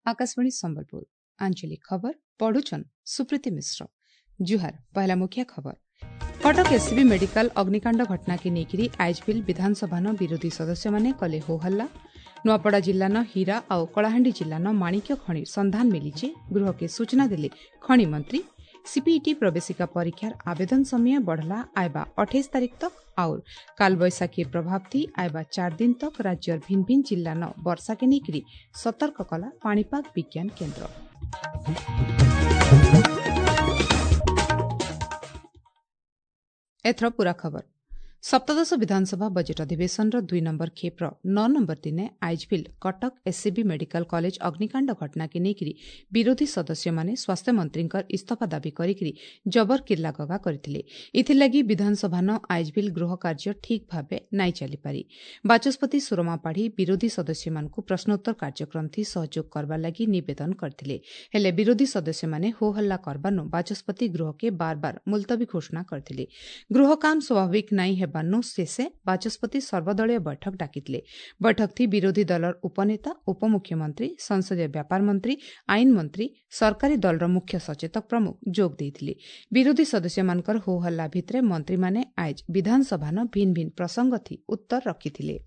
ଆକାଶବାଣୀ ସମ୍ବଲପୁର ଆଞ୍ଚଳିକ ଖବର ପଢୁଛନ୍ ସୁପ୍ରୀତି ମିଶ୍ର। ଜୁହାର। ପହଲା ମୁଖ୍ୟ ଖବର। କଟକ ଏସ୍ସିବି ମେଡିକାଲ ଅଗ୍ନିକାଣ୍ଡ ଘଟଣାକେ ନେଇକରି ଆଇଜବିଲ୍ ବିଧାନସଭାନ ବିରୋଧୀ ସଦସ୍ୟମାନେ କଲେ ହୋହଲ୍ଲା। ନୂଆପଡ଼ା ଜିଲ୍ଲାନ ହୀରା ଆଉ କଳାହାଣ୍ଡି ଜିଲ୍ଲାନ ମାଣିକ୍ୟ ଖଣି ସନ୍ଧାନ ମିଳିଛି, ଗୃହକେ ସୂଚନା ଦେଲେ ଖଣି ମନ୍ତ୍ରୀ। ସିପିଇଟି ପ୍ରବେଶିକା ପରୀକ୍ଷାର ଆବେଦନ ସମୟ ବଢ଼ଲା, ଆଇବା 28 ତାରିଖ ତକ। और कालबैशाखी प्रभाव थी आयबा 4 दिन तक राज्यर भिन्न भिन्न जिल्लान ବର୍ଷାକେ ନେଇକରି ସତର୍କ କଲା ପାଣିପାଗ ବିଜ୍ଞାନ କେନ୍ଦ୍ର। ଏଥର ପୂରା ଖବର। ସପ୍ତଦଶ ବିଧାନସଭା ବଜେଟ୍ ଅଧିବେଶନର 2 ନମ୍ବର ଖେପ୍ର 9 ନମ୍ବର ଦିନେ ଆଇଜଭିଲ୍ କଟକ ଏସ୍ସିବି ମେଡିକାଲ କଲେଜ ଅଗ୍ନିକାଣ୍ଡ ଘଟଣାକେ ନେଇକରି ବିରୋଧୀ ସଦସ୍ୟମାନେ ସ୍ୱାସ୍ଥ୍ୟମନ୍ତ୍ରୀଙ୍କର ଇସ୍ତଫା ଦାବି କରିକରି ଜବର କିର୍ଲାଗଗା କରିଥିଲେ। ଏଥିଲାଗି ବିଧାନସଭାନ ଆଇଜଭିଲ୍ ଗୃହ କାର୍ଯ୍ୟ ଠିକ୍ ଭାବେ ନାଇଁ ଚାଲିପାରି। ବାଚସ୍ପତି ସୁରମା ପାଢ଼ୀ ବିରୋଧୀ ସଦସ୍ୟମାନଙ୍କୁ ପ୍ରଶ୍ନୋତ୍ତର କାର୍ଯ୍ୟକ୍ରମ ଥି ସହଯୋଗ କରବାର ଲାଗି ନିବେଦନ କରିଥିଲେ। ହେଲେ ବିରୋଧୀ ସଦସ୍ୟମାନେ ହୋହଲ୍ଲା କରବାନୁ ବାଚସ୍ପତି ଗୃହକେ ବାରବାର ମୁଲତବୀ ଘୋଷଣା କରିଥିଲେ। ଗୃହ କାମ ସ୍ୱାଭାବିକ ନାଇଁ ହେବାନୁ ଶେଷେ ବାଚସ୍ପତି ସର୍ବଦଳୀୟ ବୈଠକ ଡାକିଥିଲେ। ବୈଠକ ଥି ବିରୋଧୀ ଦଳର ଉପନେତା, ଉପମୁଖ୍ୟମନ୍ତ୍ରୀ, ସଂସଦୀୟ ବ୍ୟାପାର ମନ୍ତ୍ରୀ, ଆଇନ ମନ୍ତ୍ରୀ, ସରକାରୀ ଦଳର ମୁଖ୍ୟ ସଚେତକ ପ୍ରମୁଖ ଯୋଗ ଦେଇଥିଲେ। ବିରୋଧୀ ସଦସ୍ୟମାନଙ୍କର ହୋହଲ୍ଲା ଭିତରେ ମନ୍ତ୍ରୀମାନେ ଆଇଜ ବିଧାନସଭାନ ଭିନ୍ନ ଭିନ୍ନ ପ୍ରସଙ୍ଗ ଥି ଉତ୍ତର ରଖିଥିଲେ।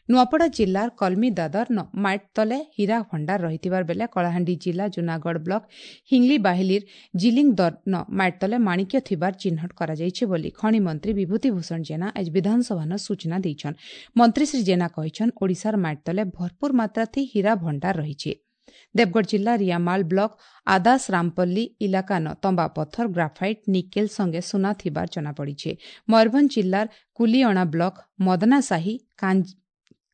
ନୂଆପଡ଼ା ଜିଲ୍ଲାର କଲ୍ମି ଦାଦର ମାଇଟ୍ ତଲେ ହୀରା ଭଣ୍ଡାର ରହିଥିବାର ବେଲେ କଳାହାଣ୍ଡି ଜିଲ୍ଲା ଜୁନାଗଡ଼ ବ୍ଲକ ହିଙ୍ଗ୍ଲି ବାହିଲିର ଜିଲିଂ ଦର ମାଇଟ୍ ତଲେ ମାଣିକ୍ୟ ଥିବାର ଚିହ୍ନଟ କରାଯାଇଛି ବୋଲି ଖଣି ମନ୍ତ୍ରୀ ବିଭୂତି ଭୂଷଣ ଜେନା ଆଜି ବିଧାନସଭାନ ସୂଚନା ଦେଇଛନ୍। ମନ୍ତ୍ରୀ ଶ୍ରୀ ଜେନା କହିଛନ୍, ଓଡ଼ିଶାର ମାଇଟ୍ ତଲେ ଭରପୁର ମାତ୍ରା ଥି ହୀରା ଭଣ୍ଡାର ରହିଛି। ଦେବଗଡ଼ ଜିଲ୍ଲା ରିଆମାଲ ବ୍ଲକ ଆଦାସ ରାମପଲ୍ଲୀ ଇଲାକାନ ତମ୍ବା ପଥର, ଗ୍ରାଫାଇଟ୍, ନିକେଲ ସଙ୍ଗେ ସୁନା ଥିବାର ଜଣାପଡ଼ିଛି। ମୟୂରଭଞ୍ଜ ଜିଲ୍ଲାର କୁଲିଅଣା ବ୍ଲକ ମଦନାସାହି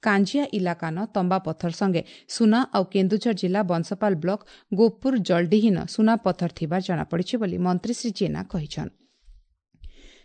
କାଞ୍ଜିଆ ଇଲାକାନ ତମ୍ବା ପଥର ସଙ୍ଗେ ସୁନା ଆଉ କେନ୍ଦୁଝର ଜିଲ୍ଲା ବଂଶପାଲ ବ୍ଲକ ଗୋପୁର ଜଲଡିହୀନ ସୁନା ପଥର ଥିବାର ଜଣାପଡ଼ିଛି ବୋଲି ମନ୍ତ୍ରୀ ଶ୍ରୀ ଜେନା କହିଛନ୍।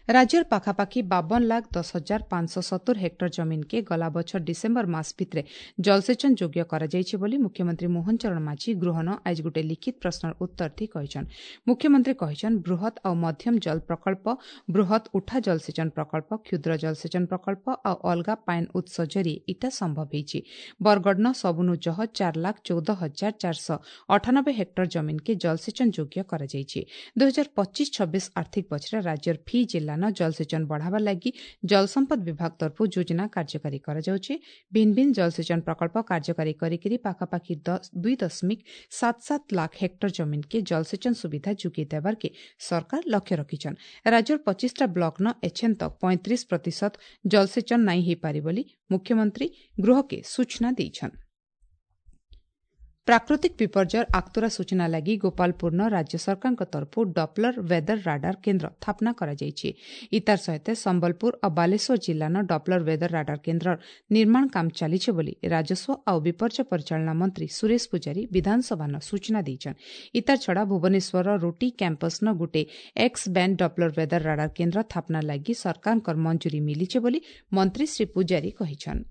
ରାଜ୍ୟର ପାଖାପାଖି 52,10,570 ହେକ୍ଟର ଜମିନ୍କେ ଗଲା ବଛର ଡିସେମ୍ବର ମାସ ଭିତରେ ଜଳସେଚନ ଯୋଗ୍ୟ କରାଯାଇଛି ବୋଲି ମୁଖ୍ୟମନ୍ତ୍ରୀ ମୋହନ ଚରଣ ମାଝୀ ଗୃହନ ଆଜି ଗୋଟିଏ ଲିଖିତ ପ୍ରଶ୍ନର ଉତ୍ତର ଥି କହିଛନ୍। ମୁଖ୍ୟମନ୍ତ୍ରୀ କହିଛନ୍, ବୃହତ୍ ଆଉ ମଧ୍ୟମ ଜଳ ପ୍ରକଳ୍ପ, ବୃହତ୍ ଉଠା ଜଳସେଚନ ପ୍ରକଳ୍ପ, କ୍ଷୁଦ୍ର ଜଳସେଚନ ପ୍ରକଳ୍ପ ଆଉ ଅଲଗା ପାଏନ୍ ଉତ୍ସ ଜରିଏ ଇଟା ସମ୍ଭବ ହେଇଛି। ବରଗଡ଼ନ ସବୁନୁ ଜହ 4,14,498 ହେକ୍ଟର ଜମିନ୍କେ ଜଳସେଚନ ଯୋଗ୍ୟ କରାଯାଇଛି। 2025-26 ଆର୍ଥିକ ବଛରେ ରାଜ୍ୟର ଫି ଜିଲ୍ଲାନ ଜଳସେଚନ ବଢ଼ାବା ଲାଗି ଜଳସମ୍ପଦ ବିଭାଗ ତରଫରୁ ଯୋଜନା କାର୍ଯ୍ୟକାରୀ କରାଯାଉଛି। ଭିନ୍ନ ଭିନ୍ନ ଜଳସେଚନ ପ୍ରକଳ୍ପ କାର୍ଯ୍ୟକାରୀ କରିକରି ପାଖାପାଖି 2.77 ଲାଖ ହେକ୍ଟର ଜମିନ୍କେ ଜଳସେଚନ ସୁବିଧା ଯୋଗାଇ ଦେବାର୍କେ ସରକାର ଲକ୍ଷ୍ୟ ରଖିଛନ୍। ରାଜ୍ୟର 25ଟା ବ୍ଲକ୍ନ ଏଛେନ୍ ତକ୍ 35% ଜଳସେଚନ ନାଇଁ ହେଇପାରି ବୋଲି ମୁଖ୍ୟମନ୍ତ୍ରୀ ଗୃହକେ ସୂଚନା ଦେଇଛନ୍। ପ୍ରାକୃତିକ ବିପର୍ଯ୍ୟୟର ଆକ୍ତୁରା ସୂଚନା ଲାଗି ଗୋପାଳପୁରନ ରାଜ୍ୟ ସରକାରଙ୍କ ତରଫରୁ ଡପ୍ଲର ୱେଦର ରାଡାର କେନ୍ଦ୍ର ସ୍ଥାପନା କରାଯାଇଛି। ଇତାର ସହିତ ସମ୍ବଲପୁର ଆଉ ବାଲେଶ୍ୱର ଜିଲ୍ଲାନ ଡପ୍ଲର ୱେଦର ରାଡାର କେନ୍ଦ୍ରର ନିର୍ମାଣ କାମ ଚାଲିଛି ବୋଲି ରାଜସ୍ୱ ଆଉ ବିପର୍ଯ୍ୟୟ ପରିଚାଳନା ମନ୍ତ୍ରୀ ସୁରେଶ ପୂଜାରୀ ବିଧାନସଭାନ ସୂଚନା ଦେଇଛନ୍। ଇତାର ଛଡ଼ା ଭୁବନେଶ୍ୱରର ରୁଟି କ୍ୟାମ୍ପସ୍ନ ଗୋଟେ X band Doppler weather radar କେନ୍ଦ୍ର ସ୍ଥାପନା ଲାଗି ସରକାରଙ୍କର ମଞ୍ଜୁରୀ ମିଳିଛି ବୋଲି ମନ୍ତ୍ରୀ ଶ୍ରୀ ପୂଜାରୀ କହିଛନ୍।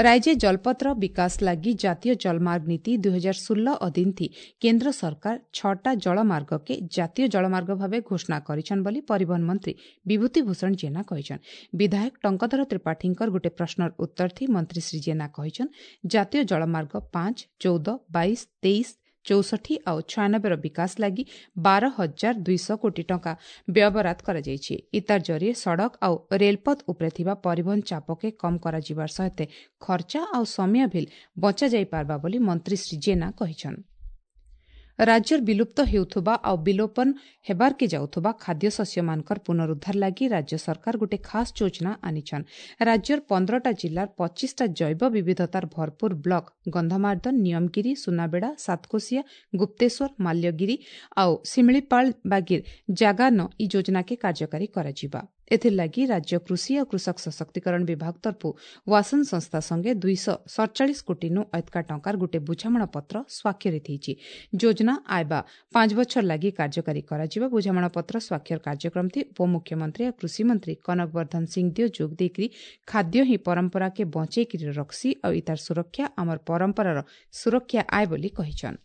ରାଜ୍ୟ ଜଳପଥର ବିକାଶ ଲାଗି ଜାତୀୟ ଜଳମାର୍ଗ ନୀତି 2016 ଅଧୀନ ଥି କେନ୍ଦ୍ର ସରକାର 6ଟା ଜଳମାର୍ଗକେ ଜାତୀୟ ଜଳମାର୍ଗ ଭାବେ ଘୋଷଣା କରିଛନ୍ ବୋଲି ପରିବହନ ମନ୍ତ୍ରୀ ବିଭୂତି ଭୂଷଣ ଜେନା କହିଛନ୍। ବିଧାୟକ ଟଙ୍କଧର ତ୍ରିପାଠୀଙ୍କର ଗୋଟିଏ ପ୍ରଶ୍ନର ଉତ୍ତର ଥି ମନ୍ତ୍ରୀ ଶ୍ରୀ ଜେନା କହିଛନ୍, ଜାତୀୟ ଜଳମାର୍ଗ 5, 14, 22, 23, 64 ଆଉ 96ର ବିକାଶ ଲାଗି 12,200 କୋଟି ଟଙ୍କା ବ୍ୟୟବରାଦ କରାଯାଇଛି। ଇତାର ଜରିଏ ସଡ଼କ ଆଉ ରେଳପଥ ଉପରେ ଥିବା ପରିବହନ ଚାପକେ କମ୍ କରାଯିବାର ସହିତ ଖର୍ଚ୍ଚ ଆଉ ସମୟ ଭିଲ୍ ବଞ୍ଚାଯାଇପାରବା ବୋଲି ମନ୍ତ୍ରୀ ଶ୍ରୀ ଜେନା କହିଛନ୍। ରାଜ୍ୟର ବିଲୁପ୍ତ ହେଉଥିବା ଆଉ ବିଲୋପନ ହେବାର୍କେ ଯାଉଥିବା ଖାଦ୍ୟଶସ୍ୟମାନଙ୍କର ପୁନରୁଦ୍ଧାର ଲାଗି ରାଜ୍ୟ ସରକାର ଗୋଟିଏ ଖାସ୍ ଯୋଜନା ଆନିଛନ୍। ରାଜ୍ୟର 15ଟା ଜିଲ୍ଲାର 25ଟା ଜୈବ ବିବିଧତାର ଭରପୁର ବ୍ଲକ ଗନ୍ଧମାର୍ଦ୍ଦନ, ନିୟମଗିରି, ସୁନାବେଡ଼ା, ସାତକୋଶିଆ, ଗୁପ୍ତେଶ୍ୱର, ମାଲ୍ୟଗିରି ଆଉ ଶିମିଳିପାଳ ବାଗିର ଜାଗାନ ଇ ଯୋଜନାକେ କାର୍ଯ୍ୟକାରୀ କରାଯିବା। ଏଥିର୍ଲାଗି ରାଜ୍ୟ କୃଷି ଆଉ କୃଷକ ସଶକ୍ତିକରଣ ବିଭାଗ ତରଫରୁ ୱାସନ ସଂସ୍ଥା ସଙ୍ଗେ 247 କୋଟିନୁ ଅଧିକା ଟଙ୍କାର ଗୋଟିଏ ବୁଝାମଣାପତ୍ର ସ୍ୱାକ୍ଷରିତ ହେଇଛି। ଯୋଜନା ଆଇବା 5 ବଛର ଲାଗି କାର୍ଯ୍ୟକାରୀ କରାଯିବ। ବୁଝାମଣାପତ୍ର ସ୍ୱାକ୍ଷର କାର୍ଯ୍ୟକ୍ରମ ଥି ଉପମୁଖ୍ୟମନ୍ତ୍ରୀ ଆଉ କୃଷିମନ୍ତ୍ରୀ କନକ ବର୍ଦ୍ଧନ ସିଂଦେଓ ଯୋଗ ଦେଇକରି ଖାଦ୍ୟ ହିଁ ପରମ୍ପରାକେ ବଞ୍ଚେଇକରି ରଖ୍ସି ଆଉ ଇତାର ସୁରକ୍ଷା ଆମର ପରମ୍ପରାର ସୁରକ୍ଷା ଆଏ ବୋଲି କହିଛନ୍।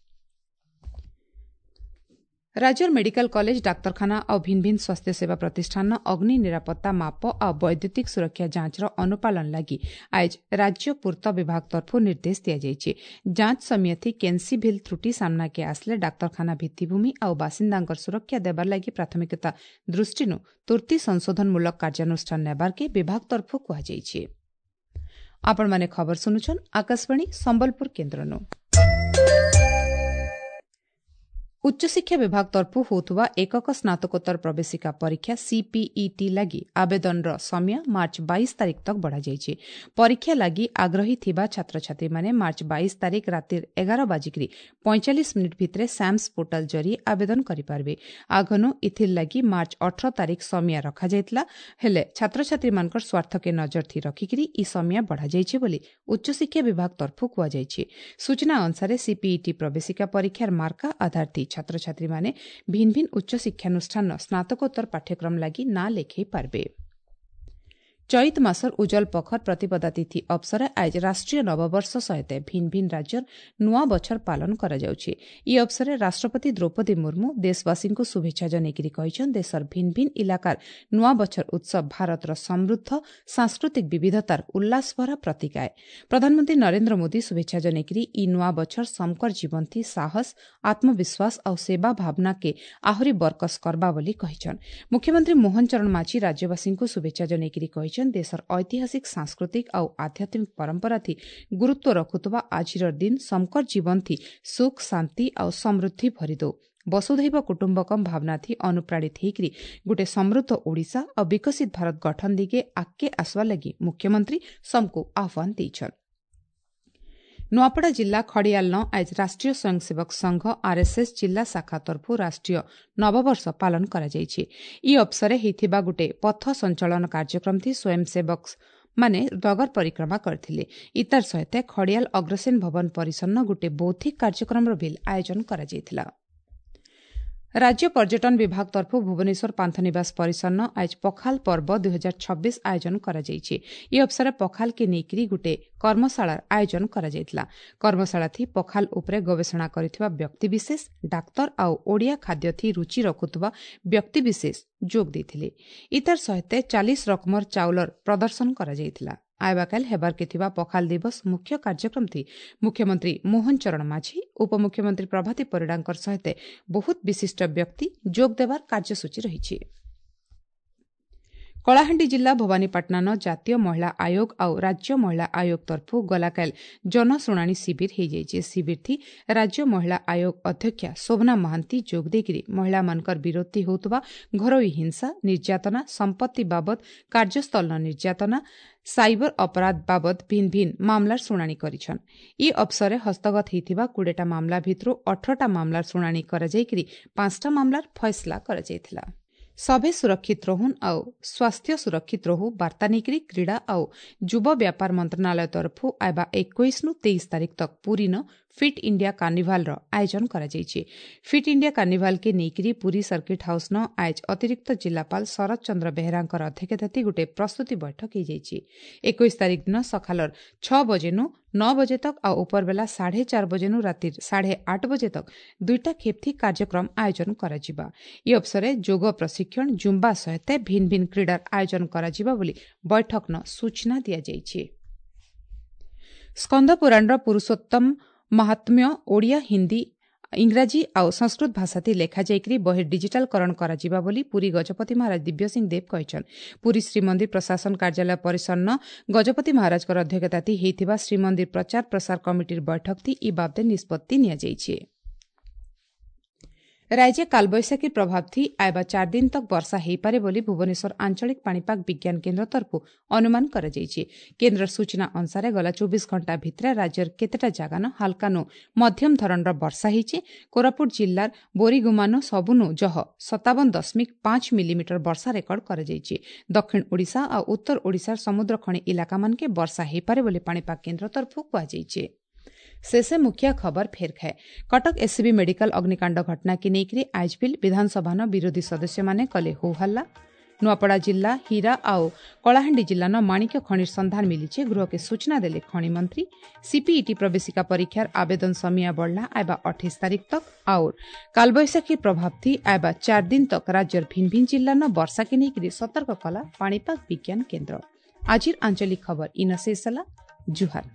ରାଜ୍ୟର ମେଡିକାଲ କଲେଜ, ଡାକ୍ତରଖାନା ଆଉ ଭିନ୍ନ ଭିନ୍ନ ସ୍ୱାସ୍ଥ୍ୟ ସେବା ପ୍ରତିଷ୍ଠାନ ଅଗ୍ନି ନିରାପତ୍ତା ମାପ ଆଉ ବୈଦ୍ୟୁତିକ ସୁରକ୍ଷା ଯାଞ୍ଚର ଅନୁପାଳନ ଲାଗି ଆଏଜ ରାଜ୍ୟ ପୂର୍ତ୍ତ ବିଭାଗ ତରଫରୁ ନିର୍ଦ୍ଦେଶ ଦିଆଯାଇଛି। ଯାଞ୍ଚ ସମୟଥି କେନ୍ସି ଭିଲ୍ ତ୍ରୁଟି ସାମ୍ନାକେ ଆସିଲେ ଡାକ୍ତରଖାନା ଭିତ୍ତିଭୂମି ଆଉ ବାସିନ୍ଦାଙ୍କର ସୁରକ୍ଷା ଦେବାର ଲାଗି ପ୍ରାଥମିକତା ଦୃଷ୍ଟିରୁ ତୁର୍ତ୍ତି ସଂଶୋଧନମୂଳକ କାର୍ଯ୍ୟାନୁଷ୍ଠାନ ନେବାର୍କେ ବିଭାଗ ତରଫରୁ କୁହାଯାଇଛି। ଆପଣମାନେ ଖବର ଶୁଣୁଛନ୍ ଆକାଶବାଣୀ ସମ୍ବଲପୁର କେନ୍ଦ୍ରନୁ। ଉଚ୍ଚଶିକ୍ଷା ବିଭାଗ ତରଫରୁ ହେଉଥିବା ଏକକ ସ୍ନାତକୋତ୍ତର ପ୍ରବେଶିକା ପରୀକ୍ଷା ସିପିଇଟି ଲାଗି ଆବେଦନର ସମୟ ମାର୍ଚ୍ଚ 22 ତାରିଖ ତକ୍ ବଢ଼ାଯାଇଛି। ପରୀକ୍ଷା ଲାଗି ଆଗ୍ରହୀ ଥିବା ଛାତ୍ରଛାତ୍ରୀମାନେ ମାର୍ଚ୍ଚ 22 ତାରିଖ ରାତିର 11:45 ଭିତରେ ସ୍ୟାମ୍ସ ପୋର୍ଟାଲ ଜରିଏ ଆବେଦନ କରିପାରିବେ। ଆଗନୁ ଇଥିର୍ ଲାଗି ମାର୍ଚ୍ଚ 18 ତାରିଖ ସମୟ ରଖାଯାଇଥିଲା, ହେଲେ ଛାତ୍ରଛାତ୍ରୀମାନଙ୍କର ସ୍ୱାର୍ଥକେ ନଜର ଥି ରଖିକିରି ଇ ସମୟ ବଢ଼ାଯାଇଛି ବୋଲି ଉଚ୍ଚଶିକ୍ଷା ବିଭାଗ ତରଫରୁ କୁହାଯାଇଛି। ସୂଚନା ଅନୁସାରେ ସିପିଇଟି ପ୍ରବେଶିକା ପରୀକ୍ଷାର ମାର୍କା ଆଧାର ଥି ଛାତ୍ରଛାତ୍ରୀମାନେ ଭିନ୍ନ ଭିନ୍ନ ଉଚ୍ଚ ଶିକ୍ଷାନୁଷ୍ଠାନ ସ୍ନାତକୋତ୍ତର ପାଠ୍ୟକ୍ରମ ଲାଗି ନାଁ ଲେଖାଇ ପାରିବେ। ଚୈତ ମାସର ଉଜଲ ପଖର ପ୍ରତିପଦା ତିଥି ଅବସରେ ଆଜ ରାଷ୍ଟ୍ରୀୟ ନବବର୍ଷ ସହିତ ଭିନ୍ନ ଭିନ୍ନ ରାଜ୍ୟର ନୂଆ ବଛର ପାଳନ କରାଯାଉଛି। ଇ ଅବସରେ ରାଷ୍ଟ୍ରପତି ଦ୍ରୌପଦୀ ମୁର୍ମୁ ଦେଶବାସୀଙ୍କୁ ଶୁଭେଚ୍ଛା ଜଣାଇକରି କହିଛନ୍ତି, ଦେଶର ଭିନ୍ନ ଭିନ୍ନ ଇଲାକାର ନୂଆ ବଛର ଉତ୍ସବ ଭାରତର ସମୃଦ୍ଧ ସାଂସ୍କୃତିକ ବିବିଧତାର ଉଲ୍ଲାସଭରା ପ୍ରତୀକ ଆଏ। ପ୍ରଧାନମନ୍ତ୍ରୀ ନରେନ୍ଦ୍ର ମୋଦି ଶୁଭେଚ୍ଛା ଜଣାଇକରି ଇ ନୂଆ ବଛର ସମକର ଜୀବନଥି ସାହସ, ଆତ୍ମବିଶ୍ୱାସ ଆଉ ସେବା ଭାବନାକେ ଆହୁରି ବରକସ କରବା ବୋଲି କହିଛନ୍। ମୁଖ୍ୟମନ୍ତ୍ରୀ ମୋହନ ଚରଣ ମାଝୀ ରାଜ୍ୟବାସୀଙ୍କୁ ଶୁଭେଚ୍ଛା ଜଣାଇକରି କହିଛନ୍ତି, ଦେଶର ଐତିହାସିକ, ସାଂସ୍କୃତିକ ଆଉ ଆଧ୍ୟାତ୍ମିକ ପରମ୍ପରା ଥି ଗୁରୁତ୍ୱ ରଖୁଥିବା ଆଜିର ଦିନ ସମକର ଜୀବନ ଥି ସୁଖ, ଶାନ୍ତି ଆଉ ସମୃଦ୍ଧି ଭରିଦଉ। ବସୁଧୈବ କୁଟୁମ୍ବକମ୍ ଭାବନା ଥି ଅନୁପ୍ରାଣିତ ହେଇକରି ଗୋଟେ ସମୃଦ୍ଧ ଓଡ଼ିଶା ଆଉ ବିକଶିତ ଭାରତ ଗଠନ ଦିଗେ ଆଗକେ ଆସବା ଲାଗି ମୁଖ୍ୟମନ୍ତ୍ରୀ ସମକୁ ଆହ୍ୱାନ ଦେଇଛନ୍। ନୂଆପଡ଼ା ଜିଲ୍ଲା ଖଡ଼ିଆଲନ ଆଜ ରାଷ୍ଟ୍ରୀୟ ସ୍ୱୟଂସେବକ ସଂଘ ଆର୍ଏସ୍ଏସ୍ ଜିଲ୍ଲା ଶାଖା ତରଫରୁ ରାଷ୍ଟ୍ରୀୟ ନବବର୍ଷ ପାଳନ କରାଯାଇଛି। ଇ ଅବସରେ ହେଇଥିବା ଗୋଟେ ପଥ ସଞ୍ଚାଳନ କାର୍ଯ୍ୟକ୍ରମ ଥି ସ୍ୱୟଂସେବକ ମାନେ ନଗର ପରିକ୍ରମା କରିଥିଲେ। ଇତାର ସହିତ ଖଡ଼ିଆଲ ଅଗ୍ରସେନ ଭବନ ପରିସରନ ଗୋଟେ ବୌଦ୍ଧିକ କାର୍ଯ୍ୟକ୍ରମର ବିଲ୍ ଆୟୋଜନ କରାଯାଇଥିଲା। ରାଜ୍ୟ ପର୍ଯ୍ୟଟନ ବିଭାଗ ତରଫରୁ ଭୁବନେଶ୍ୱର ପାନ୍ଥନିବାସ ପରିସରନ ଆଜ ପଖାଲ ପର୍ବ 2026 ଆୟୋଜନ କରାଯାଇଛି। ଇ ଅବସରେ ପଖାଲକେ ନେଇକରି ଗୋଟେ କର୍ମଶାଳାର ଆୟୋଜନ କରାଯାଇଥିଲା। କର୍ମଶାଳା ଥି ପଖାଲ ଉପରେ ଗବେଷଣା କରିଥିବା ବ୍ୟକ୍ତିବିଶେଷ, ଡାକ୍ତର ଆଉ ଓଡ଼ିଆ ଖାଦ୍ୟ ଥି ରୁଚି ରଖୁଥିବା ବ୍ୟକ୍ତିବିଶେଷ ଯୋଗ ଦେଇଥିଲେ। ଇତାର ସହିତ 40 ରକମର ଚାଉଳର ପ୍ରଦର୍ଶନ କରାଯାଇଥିଲା। ଆଇବାକାଲ ହେବାର୍କେ ଥିବା ପଖାଲ ଦିବସ ମୁଖ୍ୟ କାର୍ଯ୍ୟକ୍ରମ ଥି ମୁଖ୍ୟମନ୍ତ୍ରୀ ମୋହନ ଚରଣ ମାଝୀ, ଉପମୁଖ୍ୟମନ୍ତ୍ରୀ ପ୍ରଭାତୀ ପରିଡ଼ାଙ୍କର ସହିତ ବହୁତ ବିଶିଷ୍ଟ ବ୍ୟକ୍ତି ଯୋଗ ଦେବାର କାର୍ଯ୍ୟସୂଚୀ ରହିଛି। କଳାହାଣ୍ଡି ଜିଲ୍ଲା ଭବାନୀପାଟଣାନ ଜାତୀୟ ମହିଳା ଆୟୋଗ ଆଉ ରାଜ୍ୟ ମହିଳା ଆୟୋଗ ତରଫରୁ ଗଲାକାଲ ଜନଶୁଣାଣି ଶିବିର ହେଇଯାଇଛି। ଶିବିରଥି ରାଜ୍ୟ ମହିଳା ଆୟୋଗ ଅଧ୍ୟକ୍ଷା ଶୋଭନା ମହାନ୍ତି ଯୋଗ ଦେଇକରି ମହିଳାମାନଙ୍କର ବିରୋଧୀ ହେଉଥିବା ଘରୋଇ ହିଂସା, ନିର୍ଯାତନା, ସମ୍ପତ୍ତି ବାବଦ କାର୍ଯ୍ୟସ୍ଥଳନ ନିର୍ଯାତନା, ସାଇବର ଅପରାଧ ବାବଦ ଭିନ୍ନ ଭିନ୍ନ ମାମଲାର ଶୁଣାଣି କରିଛନ୍। ଇ ଅବସରେ ହସ୍ତଗତ ହେଇଥିବା 20ଟା ମାମଲା ଭିତରୁ 18ଟା ମାମଲାର ଶୁଣାଣି କରାଯାଇକରି 5ଟା ମାମଲାର ଫଇସଲା କରାଯାଇଥିଲା। ସଭେ ସୁରକ୍ଷିତ ରହୁନ୍ ଆଉ ସ୍ୱାସ୍ଥ୍ୟ ସୁରକ୍ଷିତ ରହୁ ବାର୍ତ୍ତା ନେଇକରି କ୍ରୀଡ଼ା ଆଉ ଯୁବ ବ୍ୟାପାର ମନ୍ତ୍ରଣାଳୟ ତରଫରୁ ଆଇବା 21 ନୁ 23 ତାରିଖ ତକ୍ ପୁରୀନ ଫିଟ୍ ଇଣ୍ଡିଆ କାର୍ନିଭାଲର ଆୟୋଜନ କରାଯାଇଛି। ଫିଟ୍ ଇଣ୍ଡିଆ କାର୍ନିଭାଲକେ ନେଇକରି ପୁରୀ ସର୍କିଟ୍ ହାଉସ୍ନ ଆଏଜ ଅତିରିକ୍ତ ଜିଲ୍ଲାପାଳ ଶରତ ଚନ୍ଦ୍ର ବେହେରାଙ୍କର ଅଧ୍ୟକ୍ଷତାଥି ଗୋଟେ ପ୍ରସ୍ତୁତି ବୈଠକ ହେଇଯାଇଛି। 21 ତାରିଖ ଦିନ ସକାଳର 6 ବଜେନୁ 9 ବଜେ ତକ୍ ଆଉ ଉପରବେଲା 4:30 ବଜେନୁ ରାତିର 8:30 ବଜେ ତକ୍ ଦୁଇଟା ଖେପ୍ଥି କାର୍ଯ୍ୟକ୍ରମ ଆୟୋଜନ କରାଯିବା। ଇ ଅବସରେ ଯୋଗ ପ୍ରଶିକ୍ଷଣ, ଜୁମ୍ବା ସହିତ ଭିନ୍ନ ଭିନ୍ନ କ୍ରୀଡ଼ାର ଆୟୋଜନ କରାଯିବ ବୋଲି ବୈଠକନ ସୂଚନା ଦିଆଯାଇଛି। ସ୍କନ୍ଦ ପୁରାଣର ପୁରୁଷୋତ୍ତମ ମହାତ୍ମ୍ୟ ଓଡ଼ିଆ, ହିନ୍ଦୀ, ଇଂରାଜୀ ଆଉ ସଂସ୍କୃତ ଭାଷାଥି ଲେଖାଯାଇକରି ବହି ଡିଜିଟାଲକରଣ କରାଯିବା ବୋଲି ପୁରୀ ଗଜପତି ମହାରାଜ ଦିବ୍ୟସିଂହ ଦେବ କହିଛନ୍। ପୁରୀ ଶ୍ରୀମନ୍ଦିର ପ୍ରଶାସନ କାର୍ଯ୍ୟାଳୟ ପରିସରନ ଗଜପତି ମହାରାଜଙ୍କର ଅଧ୍ୟକ୍ଷତାଥି ହେଇଥିବା ଶ୍ରୀମନ୍ଦିର ପ୍ରଚାର ପ୍ରସାର କମିଟିର ବୈଠକଥି ଇ ବାବଦେ ନିଷ୍ପତ୍ତି ନିଆଯାଇଛି। ରାଜ୍ୟ କାଳବୈଶାଖୀ ପ୍ରଭାବ ଥି ଆଇବା 4 ଦିନ ତକ୍ ବର୍ଷା ହେଇପାରେ ବୋଲି ଭୁବନେଶ୍ୱର ଆଞ୍ଚଳିକ ପାଣିପାଗ ବିଜ୍ଞାନ କେନ୍ଦ୍ର ତରଫରୁ ଅନୁମାନ କରାଯାଇଛି। କେନ୍ଦ୍ର ସୂଚନା ଅନୁସାରେ ଗଲା 24 ଘଣ୍ଟା ଭିତରେ ରାଜ୍ୟର କେତେଟା ଜାଗାନ ହାଲକାନୁ ମଧ୍ୟମ ଧରଣର ବର୍ଷା ହେଇଛି। କୋରାପୁଟ ଜିଲ୍ଲାର ବୋରିଗୁମାନୁ ସବୁନୁ ଜହ 57.5 ମିଲିମିଟର ବର୍ଷା ରେକର୍ଡ କରାଯାଇଛି। ଦକ୍ଷିଣ ଓଡ଼ିଶା ଆଉ ଉତ୍ତର ଓଡ଼ିଶାର ସମୁଦ୍ର ଖଣି ଇଲାକାମାନକେ ବର୍ଷା ହେଇପାରେ ବୋଲି ପାଣିପାଗ କେନ୍ଦ୍ର ତରଫରୁ କୁହାଯାଇଛି। ଶେଷେ ମୁଖ୍ୟ ଖବର ଫେର ଖାଏ। କଟକ ଏସ୍ସିବି ମେଡିକାଲ ଅଗ୍ନିକାଣ୍ଡ ଘଟଣାକେ ନେଇକରି ଆଜବିଲ୍ ବିଧାନସଭାନ ବିରୋଧୀ ସଦସ୍ୟମାନେ କଲେ ହୋ ହଲ୍ଲା। ନୂଆପଡ଼ା ଜିଲ୍ଲା ହୀରା ଆଉ କଳାହାଣ୍ଡି ଜିଲ୍ଲାନ ମାଣିକ୍ୟ ଖଣିର ସନ୍ଧାନ ମିଲିଛେ। ଗୃହକେ ସୂଚନା ଦେଲେ ଖଣି ମନ୍ତ୍ରୀ। ସିପିଇଟି ପ୍ରବେଶିକା ପରୀକ୍ଷାର ଆବେଦନ ସମିଆ ବଢ଼ଲା, ଆଇବା 28 ତାରିଖ ତକ୍। और କାଲବୈଶାଖୀ ପ୍ରଭାବ ଥି ଆଇବା 4 ଦିନ ତକ୍ ରାଜ୍ୟର ଭିନ୍ ଭିନ୍ ଜିଲ୍ଲାନ ବର୍ଷାକେ ନେଇକରି ସତର୍କ କଲା ପାଣିପାଗ ବିଜ୍ଞାନ କେନ୍ଦ୍ର। ଆଜିର ଆଞ୍ଚଳିକ ଖବର ଇନ ଶେଷ ହେଲା। ଜୁହାର।